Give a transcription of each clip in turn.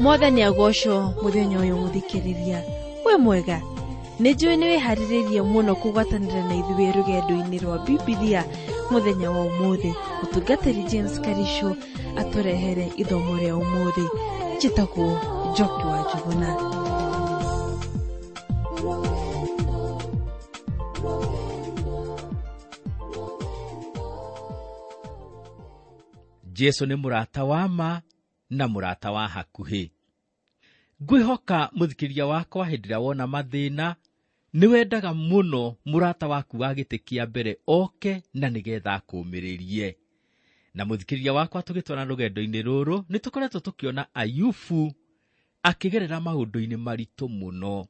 Mwathani agocwo muthenya uyu muthikiriria. We mwega, nĩ njũĩ nĩ wĩharĩrĩirie mũno kũgwatanĩra na ithuĩ rũgendo-inĩ rwa Bibilia mũthenya wa ũmũthĩ. Mũtungatĩri James Karisho atũrehere ithomo rĩa ũmũthĩ. Njĩtagwo Njoki wa Njuguna. Jesu nĩ mũrata wa ma na mũrata wa hakuhĩ. Ngwĩhoka mũthikĩria wakwa hĩndĩ ĩrĩa wona mathĩna, nĩ wendaga mũno mũrata waku wa gĩtĩ kĩa mbere oke na nĩgetha akũũmĩrĩrie. Na mũthikĩria wakwa tũgĩtwara rũgendo-inĩ rũrũ, nĩ tũkoretwo tũkĩona Ayubu akĩgerera maũndũ-inĩ maritũ mũno.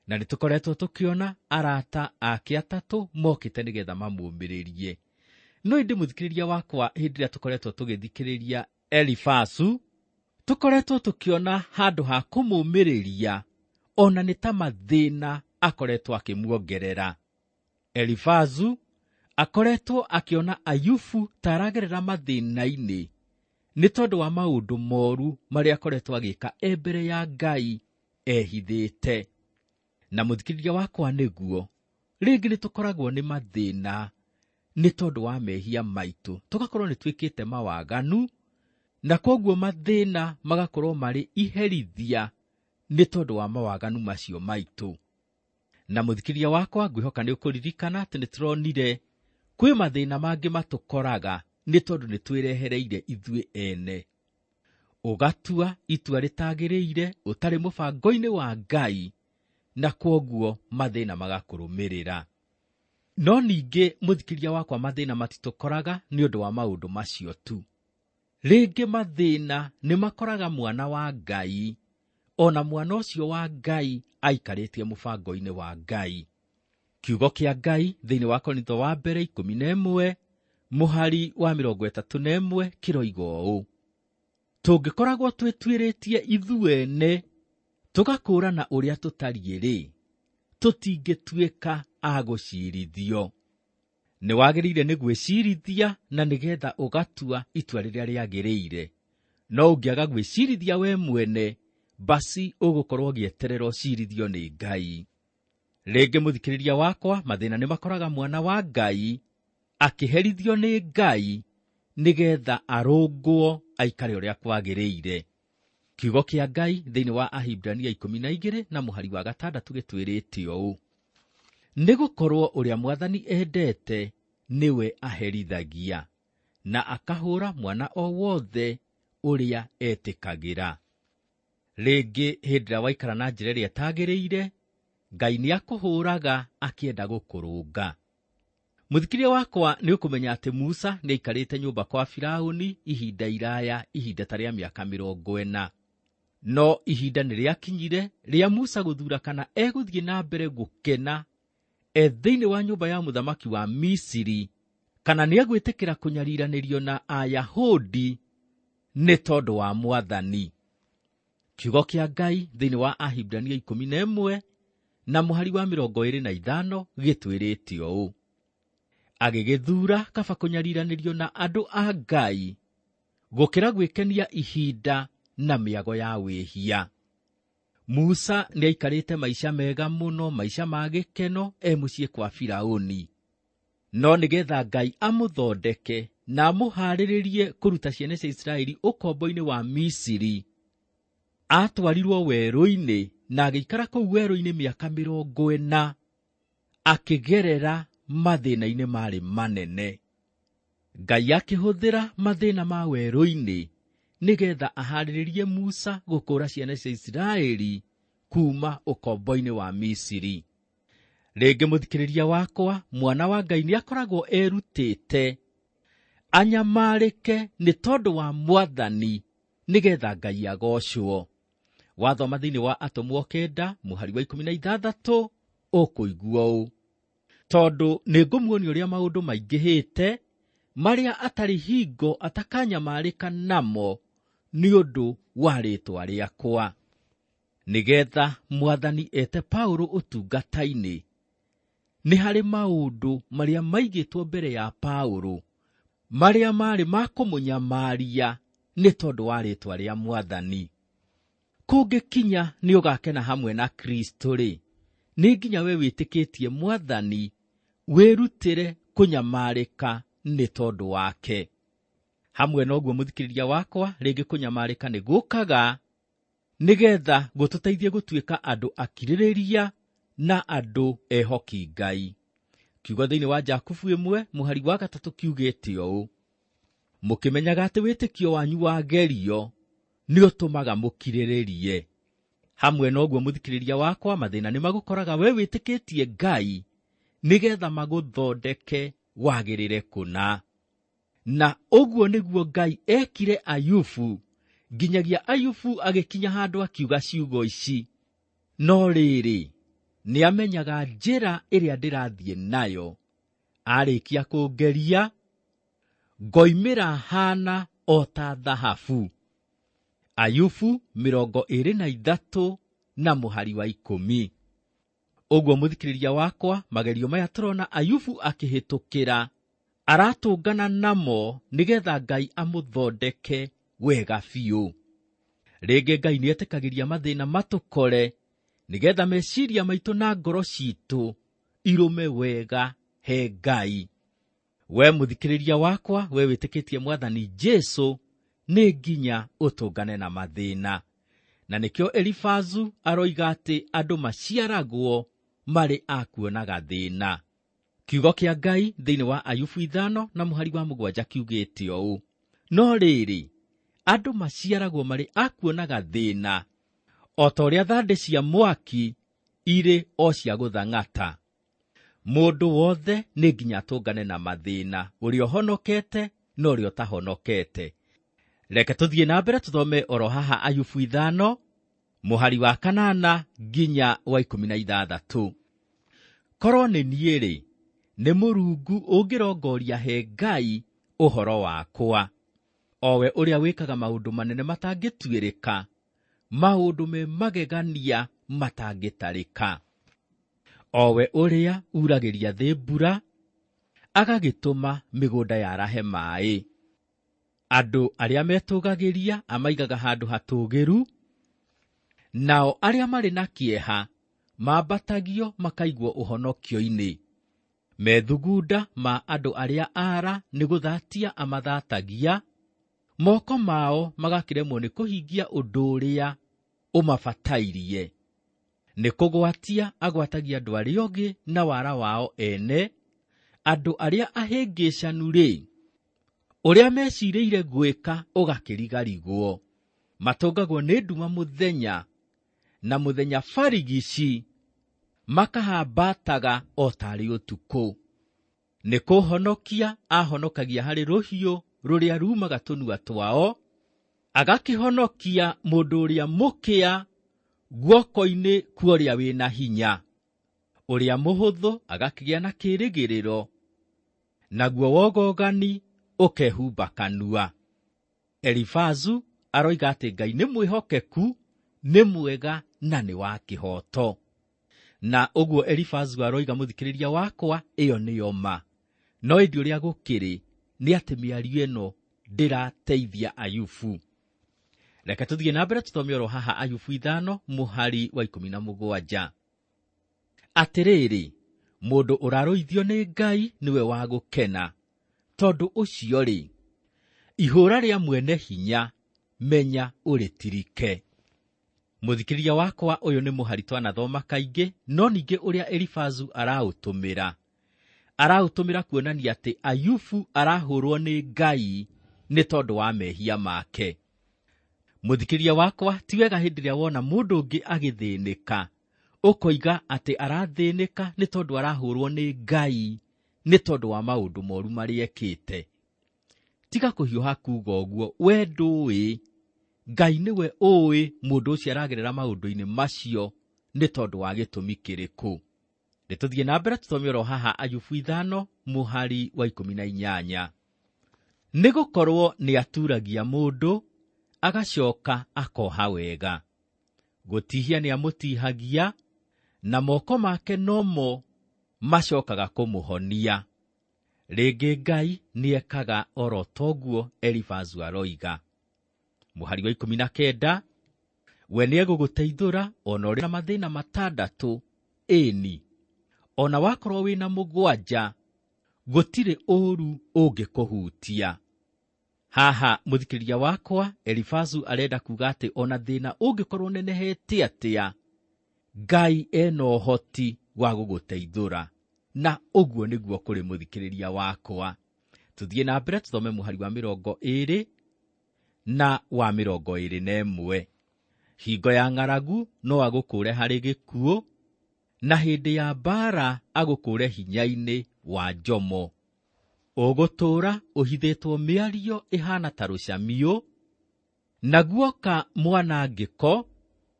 Na nĩ tũkoretwo tũkĩona arata ake atatũ mokĩte nĩgetha mamũũmĩrĩrie. No ĩndĩ mũthikĩrĩria wakwa hĩndĩ ĩrĩa tũkoretwo tũgĩthikĩrĩria Elifazu, tũkoretwo tũkĩona handũ ha kũmũũmĩrĩria ona nĩ ta mathĩna akoretwo akĩmuongerera. Elifazu akoretwo akĩona Ayubu ta aragerera mathĩna-inĩ nĩ tondũ wa maũndũ moru marĩa akoretwo agĩka e mbere ya Ngai ehithĩte. Na mũthikĩrĩria wakwa nĩguo, rĩngĩ nĩ tũkoragwo nĩ mathĩna nĩ tondũ wa mehia maitũ, tũgakorwo nĩ twĩkĩte mawaganu, na kwoguo mathĩna magakorwo marĩ iherithia nĩ tondũ wa mawaganu macio maitũ. Na mũthikĩrĩria wakwa ngwĩhoka nĩ ũkũririkana atĩ nĩ tũronire kwĩ mathĩna mangĩ matũkoraga nĩ tondũ nĩ twĩrehereire ithuĩ ene. Ũgatua itua rĩtagĩrĩire ũtarĩ mũbango-inĩ wa Ngai, na kwoguo mathĩna magakũrũmĩrĩra. No ningĩ mũthikĩrĩria wakwa mathĩna matitũkoraga nĩ ũndũ wa maũndũ macio tu. Rĩngĩ mathĩna nĩ makoraga mwana wa Ngai, ona mwana ũcio wa Ngai aikarĩtie mũbango-inĩ wa Ngai. Kiugo kĩa Ngai thĩinĩ wa Korintho wa mbere 11 mũhari wa 31 kĩroiga ũũ: tũngĩkoragwo twĩtuĩrĩtie ithuene tũgakũũrana ũrĩa tũtariĩ rĩ, tũtingĩtuĩka a gũciirithio. Nĩ wagĩrĩire nĩ gwĩcirithia na nĩgetha ũgatua itua rĩrĩa rĩagĩrĩire. No ũngĩaga gwĩcirithia we mwene, basi ũgũkorwo ũgĩeterera ũcirithio nĩ Ngai. Rĩngĩ mũthikĩrĩria wakwa, mathĩna nĩ makoraga mwana wa Ngai akĩherithio nĩ Ngai nĩgetha arũngwo aikare ũrĩa kwagĩrĩire. Kiugo kĩa Ngai thĩinĩ wa Ahibrania 12 na mũhari wa 6 gĩtwĩrĩte ũũ: nĩgũkorwo ũrĩa Mwathani endete nĩwe aherithagia, na akahũra mwana o wothe ũrĩa etĩkagĩra. Rĩngĩ hĩndĩ ĩrĩa waikara na njĩra ĩrĩa ĩtagĩrĩire, Ngai nĩakũhũraga akĩenda gũkũrũnga. Mũthikĩrĩria wakwa nĩ ũkũmenya atĩ Musa nĩaikarĩte nyũmba kwa Firaũni ihinda iraya, ihinda ta rĩa mĩaka 40. No ihinda nĩ rĩakinyire rĩa Musa gũthura kana egũthiĩ na mbere gũkena e thĩinĩ wa nyũmba ya mũthamaki wa Misiri, kana nĩegwĩtĩkĩra kũnyariranĩrio na Ayahudi nĩ tondũ wa Mwathani. Kiugo kĩa Ngai thĩinĩ wa Ahibrania 11 na mũhari wa 25 gĩtwĩrĩte ũũ: agĩgĩthura kaba kũnyariranĩrio na andũ a Ngai gũkĩra gwĩkenia ihinda na mĩago ya wĩhia. Musa nĩaikarĩte maica mega mũno, maica ma gĩkeno e mũciĩ kwa Firaũni. No nĩgetha Ngai amũthondeke na amũharĩrĩrie kũruta ciana cia Isiraeli ũkombo-inĩ wa Misiri, atwarirwo werũ-inĩ na agĩikara kũu werũ-inĩ mĩaka 40 akĩgerera mathĩna-inĩ marĩ manene. Ngai akĩhũthĩra mathĩna ma werũ-inĩ nĩgetha aharĩrĩrie Musa gũkũũra ciana cia Isiraeli kuma ũkombo-inĩ wa Misiri. Rĩngĩ mũthikĩrĩria wakwa, mwana wa Ngai nĩakoragwo erutĩte anyamarĩke nĩ tondũ wa Mwathani nĩgetha Ngai agocwo. Wathoma thĩinĩ wa Atũmwo 9 mũhari wa 16 ũkũigua ũũ: tondũ nĩngũmuonia ũrĩa maũndũ maingĩhĩte marĩa atarĩ hingo atakanyamarĩka namo nĩ ũndũ wa rĩĩtwa rĩakwa. Nĩgetha Mwathani ete Paũlũ ũtungata-inĩ, nĩ harĩ maũndũ marĩa maigĩtwo mbere ya Paũlũ marĩa marĩ ma kũmũnyamaria nĩ tondũ wa rĩĩtwa rĩa Mwathani. Kũngĩkinya nĩ ũgakena hamwe na Kristo-rĩ, nĩ nginya we wĩtĩkĩtie Mwathani wĩrutĩre kũnyamarĩka nĩ tondũ wake. Hamwe na ũguo mũthikĩrĩria wakwa, rĩngĩ kũnyamarĩka nĩ gũkaga nĩgetha gũtũteithie gũtuĩka andũ akirĩrĩria na andũ ehoki Ngai. Kiugo thĩinĩ wa Jakubu 1:3 kiugĩte ũũ: mũkĩmenyaga atĩ wĩtĩkio wanyu wagerio nĩ ũtũmaga mũkirĩrĩrie. Hamwe na ũguo mũthikĩrĩria wakwa, mathĩna nĩ magũkoraga we wĩtĩkĩtie Ngai nĩgetha magũthondeke wagĩrĩre kũna. Na ũguo nĩguo Ngai ekire Ayubu, nginyagia Ayubu agĩkinya handũ akiuga ciugo ici: no rĩrĩ, nĩamenyaga njĩra ĩrĩa ndĩrathiĩ nayo, arĩkia kũngeria ngoimĩra hana o ta thahabu. Ayubu 23 na mũhari wa 10. Ũguo mũthikĩrĩria wakwa, magerio maya tũrona Ayubu akĩhĩtũkĩra aratũngana namo nĩgetha Ngai amũthondeke wega biũ. Rĩngĩ Ngai nĩetĩkagĩria mathĩna matũkore nĩgetha meciria maitũ na ngoro citũ irũme wega he Ngai. We mũthikĩrĩria wakwa, we wĩtĩkĩtie Mwathani Jesu, nĩ nginya ũtũngane na mathĩna. Na nĩkĩo Elifazu aroiga atĩ andũ maciaragwo marĩ a kuonaga thĩna. Kiugo kĩa Ngai thĩinĩ wa Ayubu 5 na mũhari wa 7 kiugĩte ũũ: no rĩrĩ, andũ maciaragwo marĩ a kuonaga thĩna, o ta ũrĩa thandĩ cia mwaki irĩ o cia gũthang'ata. Mũndũ wothe nĩ nginya atũngane na mathĩna, ũrĩa ũhonokete na ũrĩa ũtahonokete. Reke tũthiĩ na mbere tũthome oro haha Ayubu 5 mũhari wa 8 nginya wa 16. Korwo nĩ niĩ-rĩ, nĩ Mũrungu ũngĩrongoria he Ngai ũhoro wakwa, o we ũrĩa wĩkaga maũndũ manene matangĩtuĩrĩka, maũndũ me magegania matangĩtarĩka. O we ũrĩa uragĩria thĩ mbura, agagĩtũma mĩgũnda yarahe maĩ. Andũ arĩa metũgagĩria amaigaga handũ hatũũgĩru, nao arĩa marĩ na kĩeha mambatagio makaigwo ũhonokio-inĩ. Methugunda ma andũ arĩa aara nĩ gũthatia amathatagia, moko mao magakĩremwo nĩ kũhingia ũndũ ũrĩa ũmabatairie. Nĩ kũgwatia agwatagia andũ arĩa ogĩ na wara wao ene, andũ arĩa ahĩngĩcanu-rĩ, ũrĩa mecirĩire gwĩka ũgakĩrigarigwo. Matũngagwo nĩ nduma mũthenya, na mũthenya barigici makahambataga o tarĩ ũtukũ. Nĩ kũhonokia ahonokagia harĩ rũhiũ rũrĩa rumaga tũnua twao, agakĩhonokia mũndũ ũrĩa mũkĩa guoko-inĩ kwa ũrĩa wĩna hinya. Ũrĩa mũhũthũ agakĩgĩa na kĩĩrĩgĩrĩro, naguo wogogani ũkehumba kanua. Elifazu aroiga atĩ Ngai nĩ mwĩhokeku, nĩ mwega na nĩ wa kĩhooto. Na ũguo Elifazu aroiga mũthikĩrĩria wakwa, ĩyo nĩyo ma. No ĩndĩ ũrĩa gũkĩrĩ nĩ atĩ mĩario ĩno ndĩrateithia Ayubu. Reke tũthiĩ na mbere tũthome oro haha Ayubu 5 mũhari wa 17. Atĩrĩrĩ, mũndũ ũrarũithio nĩ Ngai nĩwe wa gũkena, tondũ ũcio-rĩ, ihũra rĩa mwene hinya menya ũrĩtirike. Mũthikĩrĩria wakwa, ũyũ nĩ mũhari twanathoma kaingĩ, no ningĩ ũrĩa Elifazu araũtũmĩra kuonania atĩ Ayubu arahũrwo nĩ Ngai nĩ tondũ wa mehia make. Mũthikĩrĩria wakwa, ti wega hĩndĩ ĩrĩa wona mũndũ ũngĩ agĩthĩnĩka ũkoiga atĩ arathĩnĩka nĩ tondũ arahũrwo nĩ Ngai nĩ tondũ wa maũndũ moru marĩa ekĩte. Tiga kũhiũha kuuga ũguo, we ndũĩ. Ngai nĩwe ũĩ mũndũ ũcio aragerera maũndũ-inĩ macio nĩ tondũ wa gĩtũmi kĩrĩkũ. Nĩ tũthiĩ na mbere tũthome oro haha Ayubu 5 mũhari wa 18. Nĩ gũkorwo nĩ aturagia mũndũ agacoka akoha wega. Gũtihia nĩ amũtihagia, na moko make nomo macokaga kũmũhonia. Rĩngĩ Ngai nĩ ekaga oro toguo Elifazu aroiga. Mũhari wa 19, We nĩegũgũteithũra ona ũrĩ na mathĩna 6, ĩni ona wakorwo wĩna 7, gũtirĩ ũũru ũngĩkũhutia. Haha mũthikĩrĩria wakwa, Elifazu arenda kuga atĩ ona thĩna ũngĩkorwo ũnenehete atĩa, Ngai ena ũhoti wa gũgũteithũra. Na ũguo nĩguo kũrĩ mũthikĩrĩria wakwa. Tũthiĩ na mbere tũthome mũhari wa 20 na wa 21. Hingo ya ng'aragu no agũkũũre harĩ gĩkuũ, na hĩndĩ ya mbaara agũkũũre hinya-inĩ wa njomo. Ũgũtũũra ũhithĩtwo mĩario ĩhaana ta rũcamiũ, na guoka mwanangĩko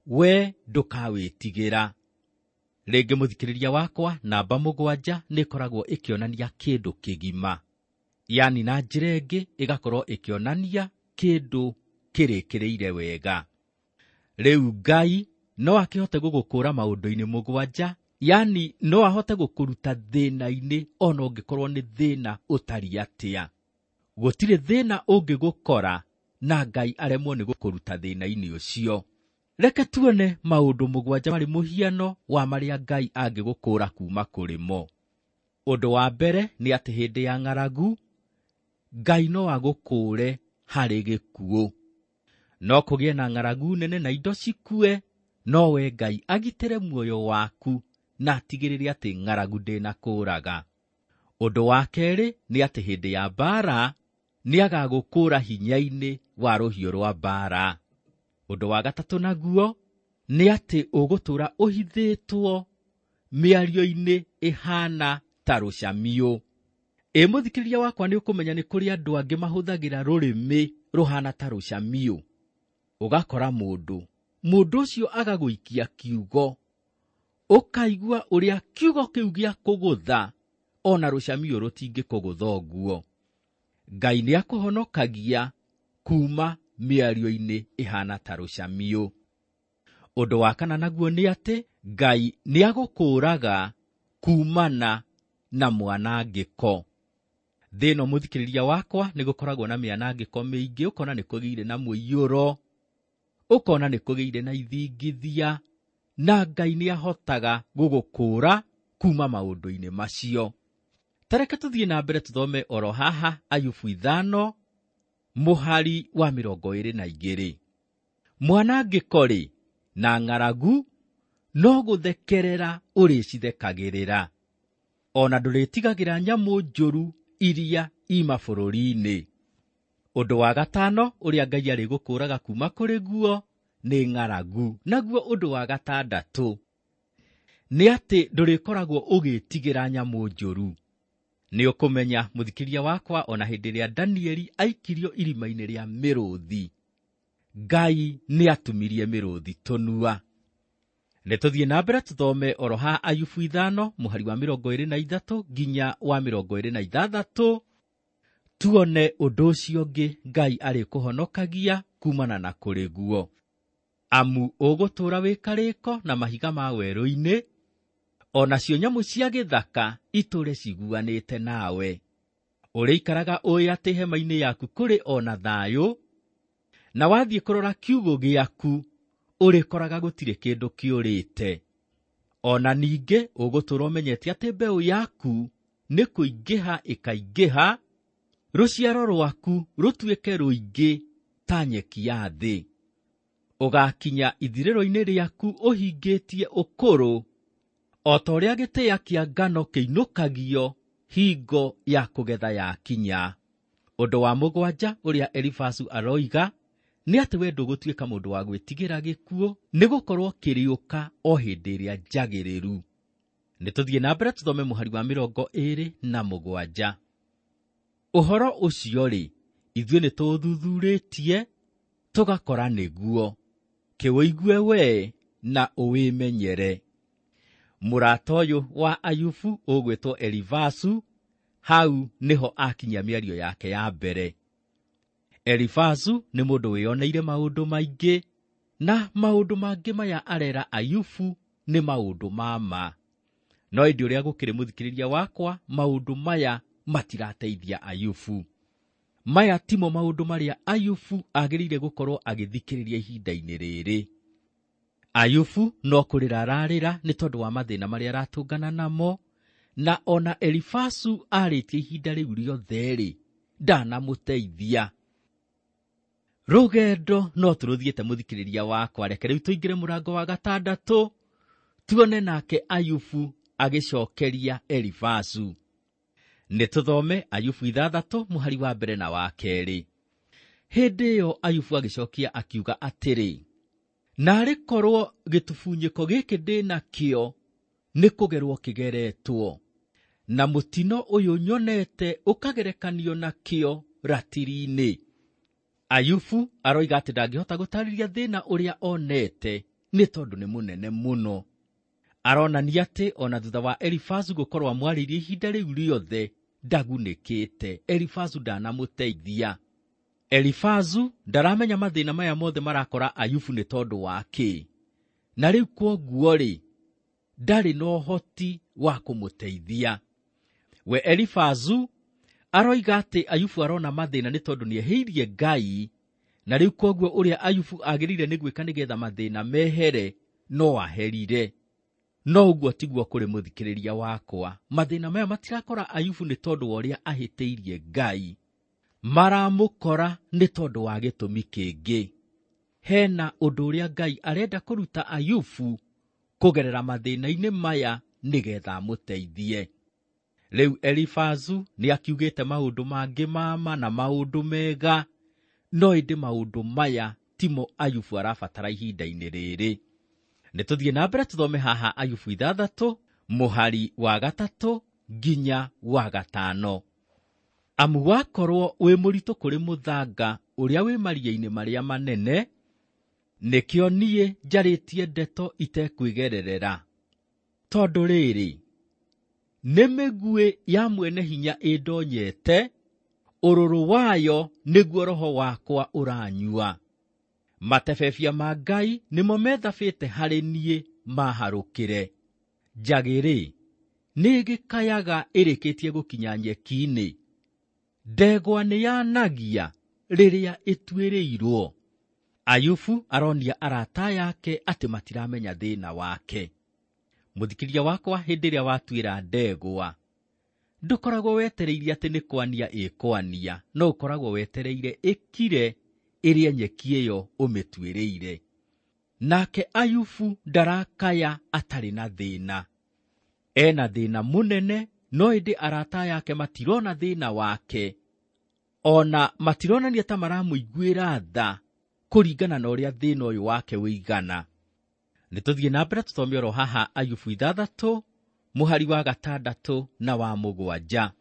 we ndũkawĩtigĩra. Rĩngĩ mũthikĩrĩria wakwa, namba 7 nĩ ĩkoragwo ĩkĩonania kĩndũ kĩgima, yani na njĩra ĩngĩ ĩgakorwo ĩkĩonania kĩndũ kĩrĩkĩrĩire wega. Rĩu Ngai no akĩhote gũgũkũũra maũndũ-inĩ 7, yani no ahote gũkũruta thĩna-inĩ ona ũngĩkorwo nĩ thĩna ũtariĩ atĩa. Gũtirĩ thĩna ũngĩgũkora na Ngai aremwo nĩ gũkũruta thĩna-inĩ ũcio. Reke tuone maũndũ 7 marĩ mũhiano wa marĩa Ngai angĩgũkũũra kuma kũrĩ mo. Ũndũ wa mbere nĩ atĩ hĩndĩ ya ng'aragu Ngai no agũkũũre harĩ gĩkuũ. No kũgĩe na ng'aragu nene na indo cikue, no we Ngai agitĩre muoyo waku na atigĩrĩre atĩ ng'aragu ndĩnakũũraga. Ũndũ wa kerĩ nĩ atĩ hĩndĩ ya mbaara nĩagagũkũũra hinya-inĩ wa rũhiũ rwa mbaara. Ũndũ wa gatatũ naguo nĩ atĩ ũgũtũũra ũhithĩtwo mĩario-inĩ ĩhaana ta rũcamiũ. Ĩ mũthikĩrĩria wakwa, nĩ ũkũmenya nĩ kũrĩ andũ angĩ mahũthagĩra rũrĩmĩ rũhaana ta rũcamiũ. Ũgakora mũndũ ũcio agagũikia kiugo, ũkaigua ũrĩa kiugo kĩu gĩa kũgũtha, ona rũcamiũ rũtingĩkũgũtha ũguo. Ngai nĩakũhonokagia kuma mĩario-inĩ ĩhaana ta rũcamiũ. Ũndũ wa kana naguo nĩ atĩ Ngai nĩagũkũũraga kumana na mwanangĩko. Thĩ ĩno mũthikĩrĩria wakwa nĩ gũkoragwo na mĩanangĩko mĩingĩ, ũkona nĩ kũgĩire na mũiyũro, ũkona nĩ kũgĩire na ithingithia, na Ngai nĩahotaga gũgũkũũra kuma maũndũ-inĩ macio. Ta reke tũthiĩ na mbere tũthome oro haha Ayubu 5 mũhari wa 22. Mwanangĩko-rĩ na ng'aragu no gũthekerera ũrĩcithekagĩrĩra, ona ndũrĩtigagĩra nyamũ njũru iria i mabũrũri-inĩ. Ũndũ wa gatano ũrĩa Ngai arĩgũkũũraga kuma kũrĩ guo nĩ ng'aragu. Naguo ũndũ wa gatandatũ nĩ atĩ ndũrĩkoragwo ũgĩtigĩra nyamũ njũru. Nĩ ũkũmenya mũthikĩria wakwa, ona hĩndĩ ĩrĩa Danieli aikirio irima-inĩ rĩa mĩrũthi, Ngai nĩatumirie mĩrũthi tũnua. Nĩ tũthiĩ na mbere tũthome oro ha Ayubu 5 mũhari wa 23 nginya wa 26, tuone ũndũ ũcio ũngĩ Ngai arĩkũhonokagia kumana na kũrĩ guo. Amu ũgũtũũra wĩ karĩko na mahiga ma werũ-inĩ, onacio nyamũ cia gĩthaka itũũre ciguanĩte nawe. Ũrĩikaraga ũĩ atĩ hema-inĩ yaku kũrĩ ona thayũ, na wathiĩ kũrora kiugũ gĩaku ũrĩkoraga gũtirĩ kĩndũ kĩũrĩte. Ona ningĩ ũgũtũũra ũmenyete atĩ mbeũ yaku nĩ kũingĩha ĩkaingĩha, rũciaro rwaku rũtuĩke rũingĩ ta nyeki ya thĩ. Ũgakinya ithirĩro-inĩ rĩaku ũhingĩtie ũkũrũ, o ta ũrĩa gĩtĩa kĩa ngano kĩinũkagio hingo ya kũgetha yakinya. Ũndũ wa 7 ũrĩa Elifazu aroiga nĩ atĩ we ndũgũtuĩka mũndũ wa gwĩtigĩra gĩkuũ, nĩ gũkorwo kĩrĩũka o hĩndĩ ĩrĩa njagĩrĩru. Nĩ tũthiĩ na mbere tũthome mũhari wa 27. Ũhoro ũcio-rĩ, ithuĩ nĩ tũũthuthurĩtie tũgakora nĩguo, kĩũigue we na ũwĩmenyere. Mũrata ũyũ wa Ayubu ũgwĩtwo Elifazu, hau nĩho akinyia mĩario yake ya mbere. Elifazu nĩ mũndũ wĩyoneire maũndũ maingĩ, na maũndũ mangĩ maya arera Ayubu nĩ maũndũ ma ma. No ĩndĩ ũrĩa gũkĩrĩ mũthikĩrĩria wakwa, maũndũ maya matirateithia Ayubu. Maya timo maũndũ marĩa Ayubu agĩrĩire gũkorwo agĩthikĩrĩria ihinda-inĩ rĩrĩ. Ayubu no kũrĩra ararĩra nĩ tondũ wa mathĩna marĩa aratũngana namo, na ona Elifazu arĩtie ihinda rĩu rĩothe-rĩ, ndanamũteithia. Rũgendo no tũrũthiĩte mũthikĩrĩria wakwa, reke rĩu tũingĩre mũrango wa gatandatũ, tuone nake Ayubu agĩcokeria Elifazu. Nĩ tũthome Ayubu 6 mũhari wa mbere na wa kerĩ. Hĩndĩ ĩyo Ayubu agĩcokia akiuga atĩrĩ, naarĩ korwo gĩtubunyĩko gĩkĩ ndĩ nakĩo nĩ kũgerwo kĩgeretwo, na mũtino ũyũ nyonete ũkagerekanio nakĩo ratiri-inĩ. Ayubu aroiga atĩ ndangĩhota gũtarĩria thĩna ũrĩa onete nĩ tondũ nĩ mũnene mũno. Aronania atĩ ona thutha wa Elifazu gũkorwo amwarĩirie ihinda rĩu rĩothe ndagunĩkĩte. Elifazu ndanamũteithia. Elifazu ndaramenya mathĩna maya mothe marakora Ayubu nĩ tondũ wa kĩ, na rĩu kwoguo-rĩ, ndarĩ na ũhoti wa kũmũteithia. We Elifazu aroiga atĩ Ayubu arona mathĩna nĩ tondũ nĩehĩirie Ngai, na rĩu kwoguo ũrĩa Ayubu agĩrĩire nĩ gwĩka nĩgetha mathĩna mehere no aherire. No ũguo tiguo kũrĩ mũthikĩrĩria wakwa. Mathĩna maya matirakora Ayubu nĩ tondũ wa ũrĩa ahĩtĩirie Ngai, maramũkora nĩ tondũ wa gĩtũmi kĩngĩ. Hena ũndũ ũrĩa Ngai arenda kũruta Ayubu kũgerera mathĩna-inĩ maya nĩgetha amũteithie. Rĩu Elifazu nĩ akiugĩte maũndũ mangĩ mama na maũndũ mega, no ĩndĩ maũndũ maya timo Ayubu arabatara ihinda-inĩ rĩrĩ. Nĩ tũthiĩ na mbere tũthome haha Ayubu 6 mũhari wa 3 nginya wa 5. Amu wakorwo wĩ mũritũ kũrĩ mũthanga ũrĩa wĩ maria-inĩ marĩa manene, nĩkĩo niĩ njarĩtie ndeto itekwĩgererera. Tondũ rĩrĩ, nĩ mĩguĩ ya mwene hinya ĩndonyete, ũrũrũ wayo nĩguo roho wakwa ũranyua. Matebebia ma Ngai nĩmo methabĩte harĩ niĩ maharũkĩre. Njagĩ-rĩ, nĩĩgĩkayaga ĩrĩkĩtie gũkinya nyeki-inĩ. Ndegwa nĩyanagia rĩrĩa ĩtuĩrĩirwo. Ayubu aronia arata yake atĩ matiramenya thĩna wake. Mũthikĩria wakwa, hĩndĩ ĩrĩa watuĩra ndegwa, ndũkoragwo wetereire atĩ nĩ kwania ĩkwania, no ũkoragwo wetereire ĩkire ĩrĩe nyeki ĩyo ũmĩtuĩrĩire. Nake Ayubu ndarakaya atarĩ na thĩna. Ena thĩna mũnene, no ĩndĩ arata yake matirona thĩna wake, ona matironania ta maramũiguĩra tha kũringana na ũrĩa thĩna ũyũ wake ũigana. Nĩ tũthiĩ na mbere tũthome oro haha Ayubu 6 mũhari wa 6 na wa 7.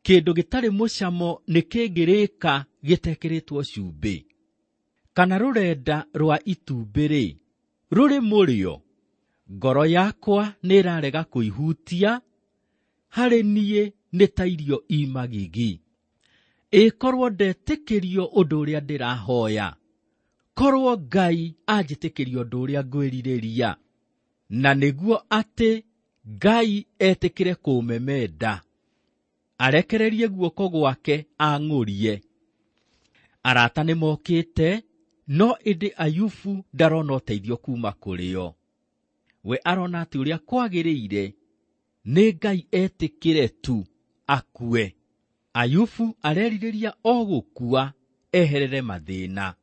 Kĩndũ gĩtarĩ mũcamo nĩ kĩngĩrĩka gĩtekĩrĩtwo cumbĩ, kana rũrenda rwa itumbĩ-rĩ, rũrĩ mũrĩo. Ngoro yakwa nĩĩrarega kũihutia, harĩ niĩ nĩ ta irio i magigi. Ĩkorwo ndetĩkĩrio ũndũ ũrĩa ndĩrahoya, korwo Ngai anjĩtĩkĩrio ũndũ ũrĩa ngwĩrirĩria, na nĩguo atĩ Ngai etĩkĩre kũũmemenda, arekererie guoko gwake ang'ũrie. Arata nĩmokĩte, no ĩndĩ Ayubu ndarona ũteithio kuma kũrĩ o. We arona atĩ ũrĩa kwagĩrĩire nĩ Ngai etĩkĩre tu akue. Ayubu arerirĩria o gũkua eherere mathĩna.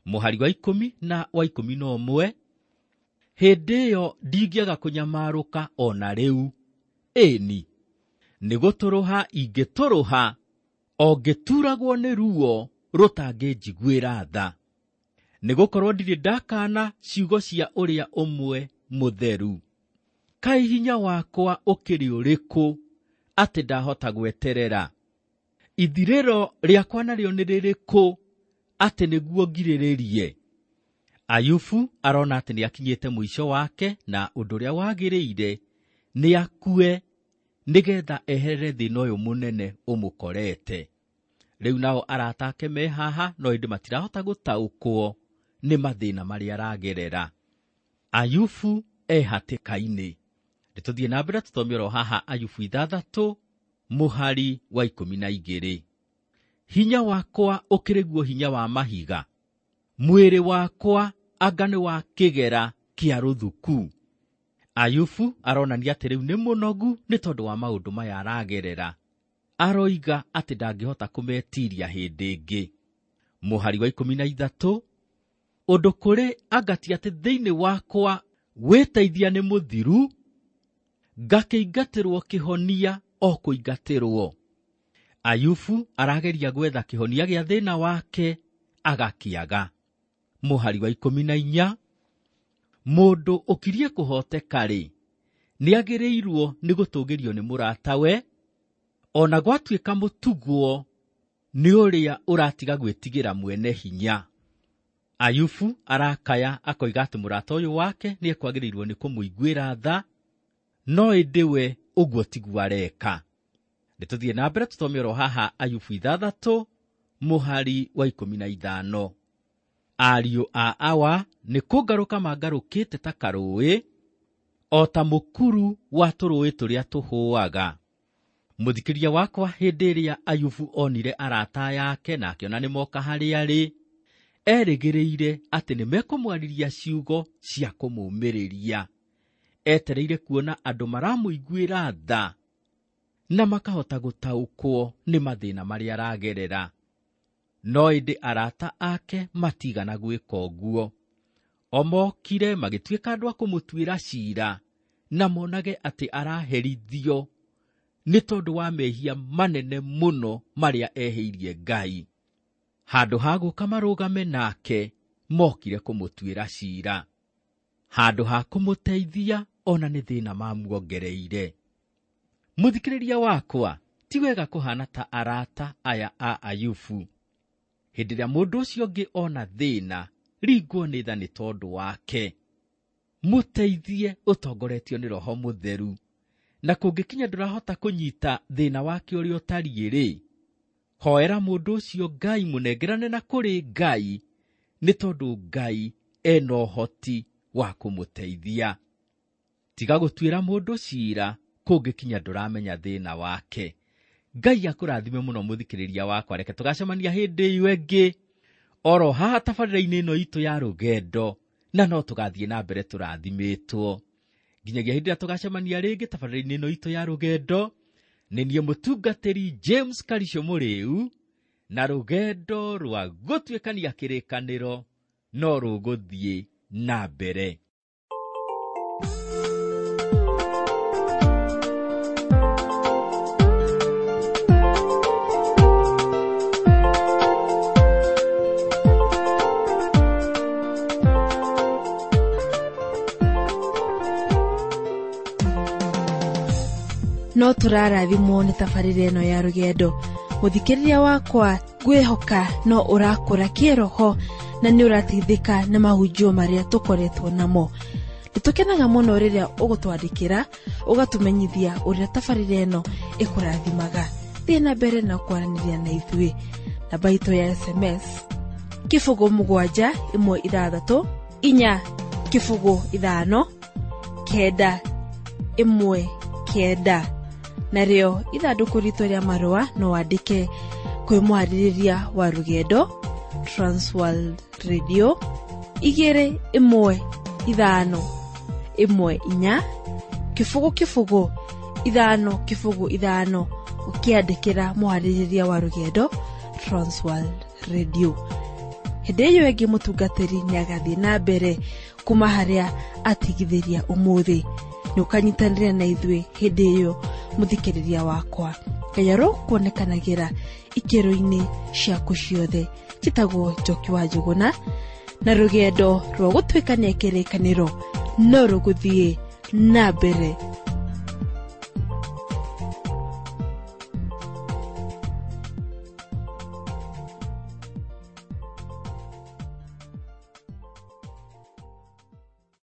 Mũhari wa 10 na wa 11, hĩndĩ ĩyo ndingĩaga kũnyamarũka ona rĩu, ĩni nĩ gũtũrũha ingĩtũrũha, o ngĩturagwo nĩ ruo rũtangĩnjiguĩra tha. Nĩgũkorwo ndirĩ ndakana ciugo cia ũrĩa ũmwe mũtheru. Kaĩ hinya wakwa ũkĩrĩ ũrĩkũ atĩ ndahota gweterera? Ithirĩro rĩakwa narĩo nĩ rĩrĩkũ atĩ nĩguo ngirĩrĩrie? Ayubu arona atĩ nĩakinyĩte mũico wake, na ũndũ ũrĩa wagĩrĩire nĩ akue nĩgetha eherere thĩna ũyũ mũnene ũmũkorete. Rĩu nao arata ake me haha, no ĩndĩ matirahota gũtaũkwo nĩ mathĩna marĩa aragerera. Ayubu e hatĩka-inĩ. Nĩ tũthiĩ na mbere tũthome oro haha Ayubu 6 mũhari wa 12. Hinya wakwa ũkĩrĩ guo hinya wa mahiga, mwĩrĩ wakwa anga nĩ wa kĩgera kĩa rũthuku. Ayubu aronania atĩ rĩu nĩ mũnogu nĩ tondũ wa maũndũ maya aragerera. Aroiga atĩ ndangĩhota kũmetiria hĩndĩ ĩngĩ. Mũhari wa 13, ũndũ kũrĩ angati atĩ thĩinĩ wakwa wĩteithia nĩ mũthiru, ngakĩingatĩrwo kĩhonia o kũingatĩrwo. Ayubu arageria gwetha kĩhonia gĩa thĩna wake agakĩaga. Mũhari wa 14, mũndũ ũkirie kũhoteka-rĩ, nĩagĩrĩirwo nĩ gũtũgĩrio nĩ mũratawe, ona gwatuĩka mũtugwo nĩ ũrĩa ũratiga gwĩtigĩra mwene hinya. Ayubu arakaya akoiga atĩ mũrata ũyũ wake nĩekwagĩrĩirwo nĩ kũmũiguĩra tha, no ĩndĩ we ũguo tiguo areka. Nĩtũthiĩ na mbere tũthome oro haha Ayubu 6 mũhari wa 15. Ariũ a awa nĩ kũngarũka mangarũkĩte ta karũĩ, o ta mũkuru wa tũrũĩ tũrĩa tũhũaga. Mũthikĩria wakwa, hĩndĩ ĩrĩa Ayubu onire arata yake na akĩona nĩ moka harĩa arĩ, erĩgĩrĩire atĩ nĩ mekũmwarĩria ciugo cia kũmũũmĩrĩria. Etereire kuona andũ maramũiguĩra tha na makahota gũtaũkwo nĩ mathĩna marĩa aragerera. No ĩndĩ arata ake matigana gwĩka ũguo. O mokire magĩtuĩka andũ a kũmũtuĩra ciira na monage atĩ araherithio nĩ tondũ wa mehia manene mũno marĩa ehĩirie Ngai. Handũ ha gũka marũgame nake, mokire kũmũtuĩra ciira. Handũ ha kũmũteithia, ona nĩ thĩna mamuongereire. Mũthikĩrĩria wakwa, ti wega kũhana ta arata aya a Ayubu. Hĩndĩ ĩrĩa mũndũ ũcio ũngĩ ona thĩna, ringwo nĩ tha nĩ tondũ wake. Mũteithie ũtongoretio nĩ Roho Mũtheru. Na kũngĩkinya ndũrahota kũnyita thĩna wake ũrĩa ũtariĩ-rĩ, hoera mũndũ ũcio Ngai, mũnengerane na kũrĩ Ngai, nĩ tondũ Ngai ena ũhoti wa kũmũteithia. Tiga gũtuĩra mũndũ ciira kũngĩkinya ndũramenya thĩna wake. Ngai akũrathime mũno mũthikĩrĩria wakwa, reke tũgacemania hĩndĩ ĩyo ĩngĩ oro haha tabarĩra-inĩ ĩno itũ ya rũgendo, na no tũgathiĩ na mbere tũrathimĩtwo. Nginyagia hĩndĩ ĩrĩa tũgacemania rĩngĩ tabarĩra-inĩ ĩno itũ ya rũgendo, nĩ niĩ mũtungatĩri James Karisho Mũrĩu, na rũgendo rwa gũtuĩkania kĩrĩkanĩro no rũgũthiĩ na mbere. No tũrarathimwo nĩ tabarĩra ĩno ya rũgendo. Mũthikĩrĩria wakwa, ngwĩhoka no ũrakũra kĩroho na nĩ ũrateithĩka nĩ mahunjio marĩa tũkoretwo namo. Nĩtũkenaga mũno rĩrĩa ũgũtwandĩkĩra ũgatũmenyithia ũrĩa tabarĩra ĩno ĩkũrathimaga. Thiĩ na mbere na kwaranĩria na ithuĩ. Namba itũ ya SMS 0 7 1 6 4 0 5 9 1 9. Narĩo ithandũkũ ritũ rĩa marũa no wandĩke kwĩ mwarĩrĩria wa rũgendo Transworld Radio 2 1 5 1 4 0 0 5 0 5, ũkĩandĩkĩra mwarĩrĩria wa rũgendo Transworld Radio. Hĩndĩ ĩyo ĩngĩ mũtungatĩri nĩagathiĩ na mbere kuma harĩa atigithĩria ũmũthĩ. Nĩ ũkanyitanĩra na ithuĩ hĩndĩ ĩyo mũthikĩrĩria wakwa. Ngai arokuonekanagĩra ikĩro-inĩ ciaku ciothe. Njĩtagwo Njoki wa Njũgũna, na rũgendo rwa gũtuĩkania kĩrĩkanĩro no rũgũthiĩ na mbere.